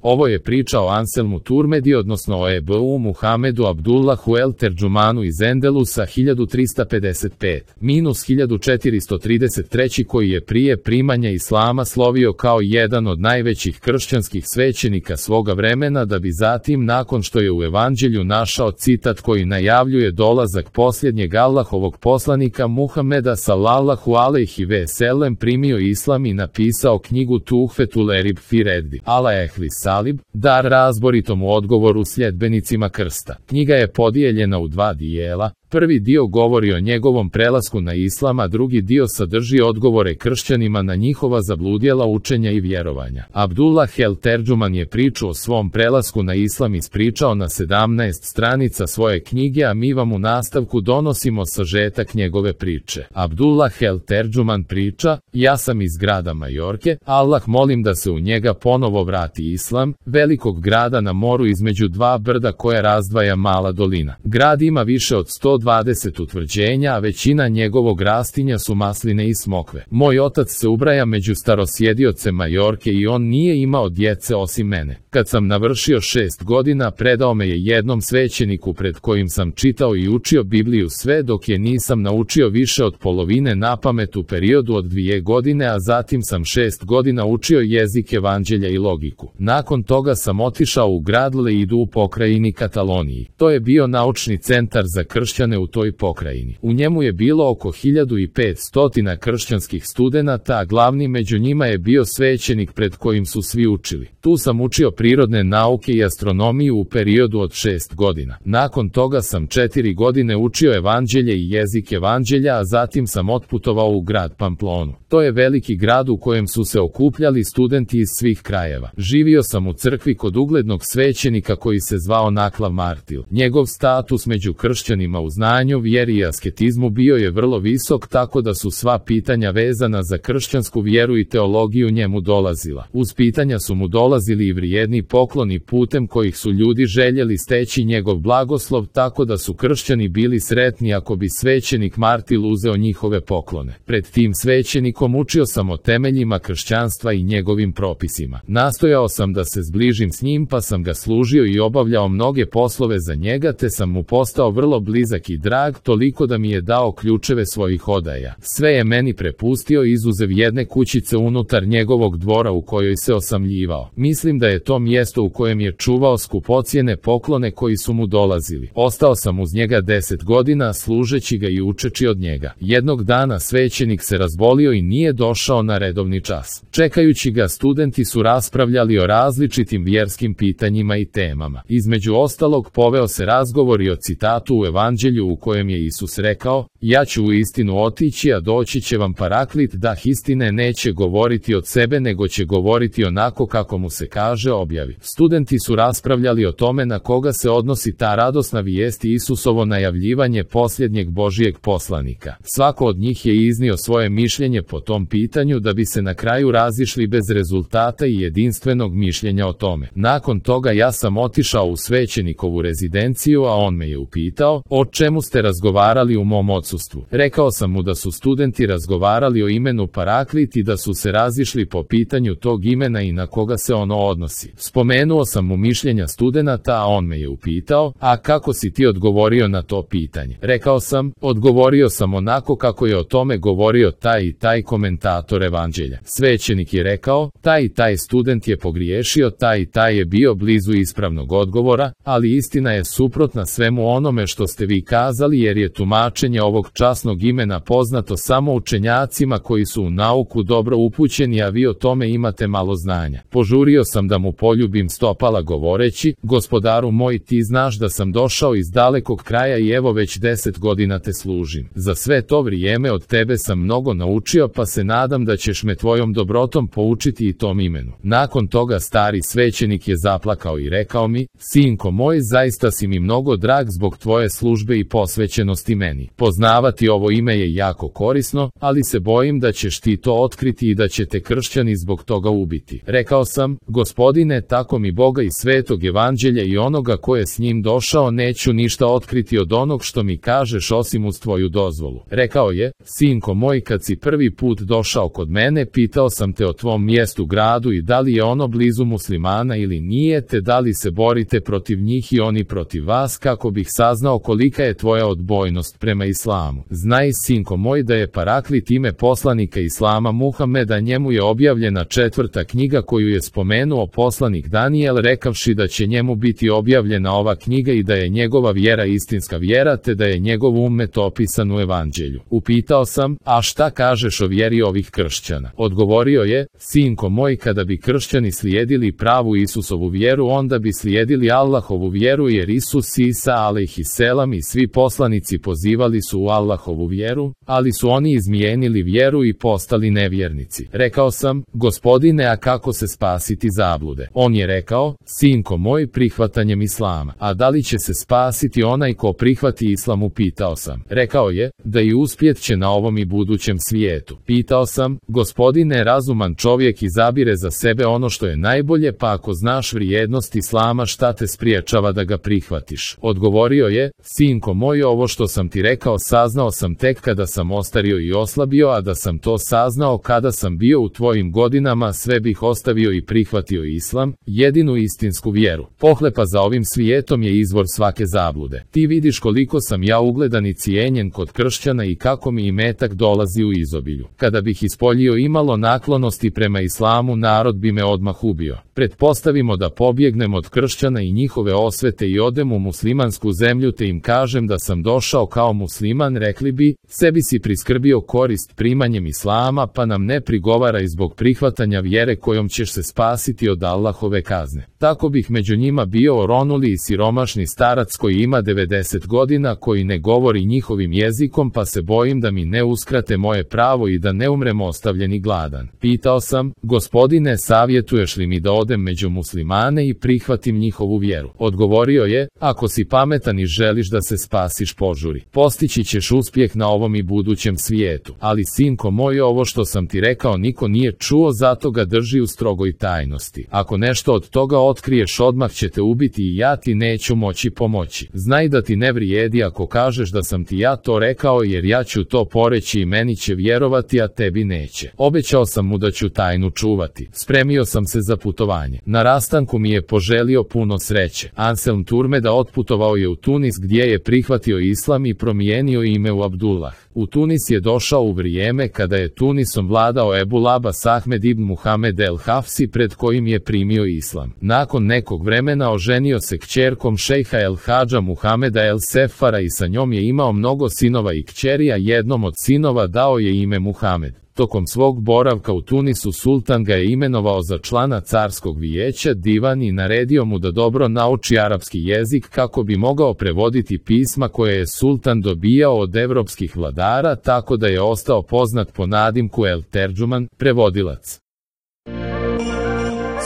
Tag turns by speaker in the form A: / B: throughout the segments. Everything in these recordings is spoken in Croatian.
A: Ovo je priča o Anselmu Turmedi, odnosno o Ebu Muhamedu Abdullahu el Terđumanu iz Endelusa 1355-1433, koji je prije primanja islama slovio kao jedan od najvećih kršćanskih svećenika svoga vremena, da bi zatim, nakon što je u evanđelju našao citat koji najavljuje dolazak posljednjeg Allahovog poslanika Muhameda sallallahu alejhi ve sellem, primio islam i napisao knjigu Tuhfetul Erib fi Reddi ala ehli Salib, dar razboritom u odgovoru sljedbenicima krsta. Knjiga je podijeljena u dva dijela. Prvi dio govori o njegovom prelasku na islam, a drugi dio sadrži odgovore kršćanima na njihova zabludjela učenja i vjerovanja. Abdullah el Terđuman je priču o svom prelasku na islam ispričao na 17 stranica svoje knjige, a mi vam u nastavku donosimo sažetak njegove priče. Abdullah el Terđuman priča: ja sam iz grada Majorke, Allah molim da se u njega ponovo vrati islam, velikog grada na moru između dva brda koja razdvaja mala dolina. Grad ima više od 120 utvrđenja, a većina njegovog rastinja su masline i smokve. Moj otac se ubraja među starosjedioce Majorke i on nije imao djece osim mene. Kad sam navršio 6 godina, predao me je jednom svećeniku pred kojim sam čitao i učio Bibliju sve dok je nisam naučio više od polovine napamet u periodu od 2 godine, a zatim sam 6 godina učio jezik evanđelja i logiku. Nakon toga sam otišao u grad Leidu u pokrajini Kataloniji. To je bio naučni centar za kršćane u toj pokrajini. U njemu je bilo oko 1500 kršćanskih studenata, a glavni među njima je bio svećenik pred kojim su svi učili. Tu sam učio prirodne nauke i astronomiju u periodu od 6 godina. Nakon toga sam 4 godine učio evanđelje i jezik evanđelja, a zatim sam otputovao u grad Pamplonu. To je veliki grad u kojem su se okupljali studenti iz svih krajeva. Živio sam u crkvi kod uglednog svećenika koji se zvao Naklav Martil. Njegov status među kršćanima u znanju, vjeri i asketizmu bio je vrlo visok, tako da su sva pitanja vezana za kršćansku vjeru i teologiju njemu dolazila. Uz pitanja su mu dolazili i vrijedni pokloni putem kojih su ljudi željeli steći njegov blagoslov, tako da su kršćani bili sretni ako bi svećenik Martil uzeo njihove poklone. Pred tim svećenikom učio sam o temeljima kršćanstva i njegovim propisima. Nastojao sam da se zbližim s njim, pa sam ga služio i obavljao mnoge poslove za njega, te sam mu postao vrlo blizak i drag, toliko da mi je dao ključeve svojih odaja. Sve je meni prepustio izuzev jedne kućice unutar njegovog dvora u kojoj se osamljivao. Mislim da je to mjesto u kojem je čuvao skupocjene poklone koji su mu dolazili. Ostao sam uz njega 10 godina, služeći ga i učeći od njega. Jednog dana svećenik se razbolio i nije došao na redovni čas. Čekajući ga, studenti su raspravljali o različitim vjerskim pitanjima i temama. Između ostalog, poveo se razgovor i o citatu u evanđelju u kojem je Isus rekao: ja ću u istinu otići, a doći će vam Paraklit, da istine neće govoriti od sebe, nego će govoriti onako kako mu se kaže, objavi. Studenti su raspravljali o tome na koga se odnosi ta radosna vijest i Isusovo najavljivanje posljednjeg Božijeg poslanika. Svako od njih je iznio svoje mišljenje po tom pitanju, da bi se na kraju razišli bez rezultata i jedinstvenog mišljenja o tome. Nakon toga ja sam otišao u svećenikovu rezidenciju, a on me je upitao: o čemu ste razgovarali u mom odsustvu? Rekao sam mu da su studenti razgovarali o imenu Paraklit i da su se razišli po pitanju tog imena i na koga se ono odnosi. Spomenuo sam mu mišljenja studenata, a on me je upitao: a kako si ti odgovorio na to pitanje? Rekao sam: odgovorio sam onako kako je o tome govorio taj i taj komentator evanđelja. Svećenik je rekao: taj i taj student je pogriješio, taj i taj je bio blizu ispravnog odgovora, ali istina je suprotna svemu onome što ste vi kazali, jer je tumačenje ovog časnog imena poznato samo učenjacima koji su u nauku dobro upućeni, a vi o tome imate malo znanja. Požurio sam da mu poljubim stopala govoreći: gospodaru moj, ti znaš da sam došao iz dalekog kraja i evo već 10 godina te služim. Za sve to vrijeme od tebe sam mnogo naučio, pa se nadam da ćeš me tvojom dobrotom poučiti i tom imenu. Nakon toga stari svećenik je zaplakao i rekao mi: sinko moj, zaista si mi mnogo drag zbog tvoje službe i posvećenosti meni. Poznavati ovo ime je jako korisno, ali se bojim da ćeš ti to otkriti i da će te kršćani zbog toga ubiti. Rekao sam: gospodine, mene, tako mi Boga i svetog evanđelja i onoga ko je s njim došao, neću ništa otkriti od onog što mi kažeš osim uz tvoju dozvolu. Rekao je, sinko moj, kad si prvi put došao kod mene, pitao sam te o tvom mjestu gradu i da li je ono blizu muslimana ili nije, te da li se borite protiv njih i oni protiv vas, kako bih saznao kolika je tvoja odbojnost prema islamu. Znaj, sinko moj, da je Paraklit ime poslanika islama Muhameda, njemu je objavljena 4. knjiga koju je spomenuo poslanik Danijel, rekavši da će njemu biti objavljena ova knjiga i da je njegova vjera istinska vjera, te da je njegov ummet opisan u evanđelju. Upitao sam, a šta kažeš o vjeri ovih kršćana? Odgovorio je, sinko moj, kada bi kršćani slijedili pravu Isusovu vjeru, onda bi slijedili Allahovu vjeru, jer Isus Isa alejhiselam i svi poslanici pozivali su u Allahovu vjeru, ali su oni izmijenili vjeru i postali nevjernici. Rekao sam, Gospodine, a kako se spasiti zablude? On je rekao, sinko moj, prihvatanjem islama. A da li će se spasiti onaj ko prihvati islam? Upitao sam. Rekao je, da i uspjet će na ovom i budućem svijetu. Pitao sam, Gospodine, razuman čovjek izabire za sebe ono što je najbolje, pa ako znaš vrijednost islama, šta te spriječava da ga prihvatiš? Odgovorio je, sinko moj, ovo što sam ti rekao saznao sam tek kada sam ostario i oslabio, a da sam to saznao kada sam bio u tvojim godinama, sve bih ostavio i prihvatio islam, jedinu istinsku vjeru. Pohlepa za ovim svijetom je izvor svake zablude. Ti vidiš koliko sam ja ugledan i cijenjen kod kršćana i kako mi imetak dolazi u izobilju. Kada bih ispoljio imalo naklonosti prema islamu, narod bi me odmah ubio. Pretpostavimo da pobjegnem od kršćana i njihove osvete i odem u muslimansku zemlju, te im kažem da sam došao kao musliman, rekli bi, sebi si priskrbio korist primanjem islama, pa nam ne prigovaraj zbog prihvatanja vjere kojom ćeš se spasiti od Allahove kazne. Tako bih među njima bio oronuli i siromašni starac koji ima 90 godina, koji ne govori njihovim jezikom, pa se bojim da mi ne uskrate moje pravo i da ne umrem ostavljen i gladan. Pitao sam, Gospodine, savjetuješ li mi da odem među muslimane i prihvatim njihovu vjeru? Odgovorio je, ako si pametan i želiš da se spasiš, požuri. Postići ćeš uspjeh na ovom i budućem svijetu. Ali sinko moj, ovo što sam ti rekao niko nije čuo, zato ga drži u strogoj tajnosti. Ako nešto od toga otkriješ, odmah će te ubiti i ja ti neću moći pomoći. Znaj da ti ne vrijedi ako kažeš da sam ti ja to rekao, jer ja ću to poreći i meni će vjerovati, a tebi neće. Obećao sam mu da ću tajnu čuvati. Spremio sam se za putovanje. Na rastanku mi je poželio puno sreće. Anselm Turmeda otputovao je u Tunis, gdje je prihvatio islam i promijenio ime u Abdullah. U Tunis je došao u vrijeme kada je Tunisom vladao Ebu Labas Ahmed ibn Muhammed el Hafsi, pred kojim je primio islam. Nakon nekog vremena oženio se kćerkom šejha el Hadža Muhameda el Sefara i sa njom je imao mnogo sinova i kćeri, a jednom od sinova dao je ime Muhamed. Tokom svog boravka u Tunisu sultan ga je imenovao za člana carskog vijeća, divan, i naredio mu da dobro nauči arapski jezik kako bi mogao prevoditi pisma koje je sultan dobijao od evropskih vladara, tako da je ostao poznat po nadimku El Terđuman, prevodilac.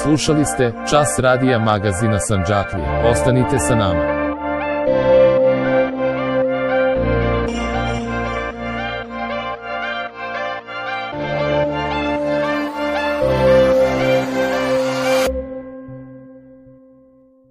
A: Slušali ste Čas radija magazina Sandžaklija. Ostanite sa nama.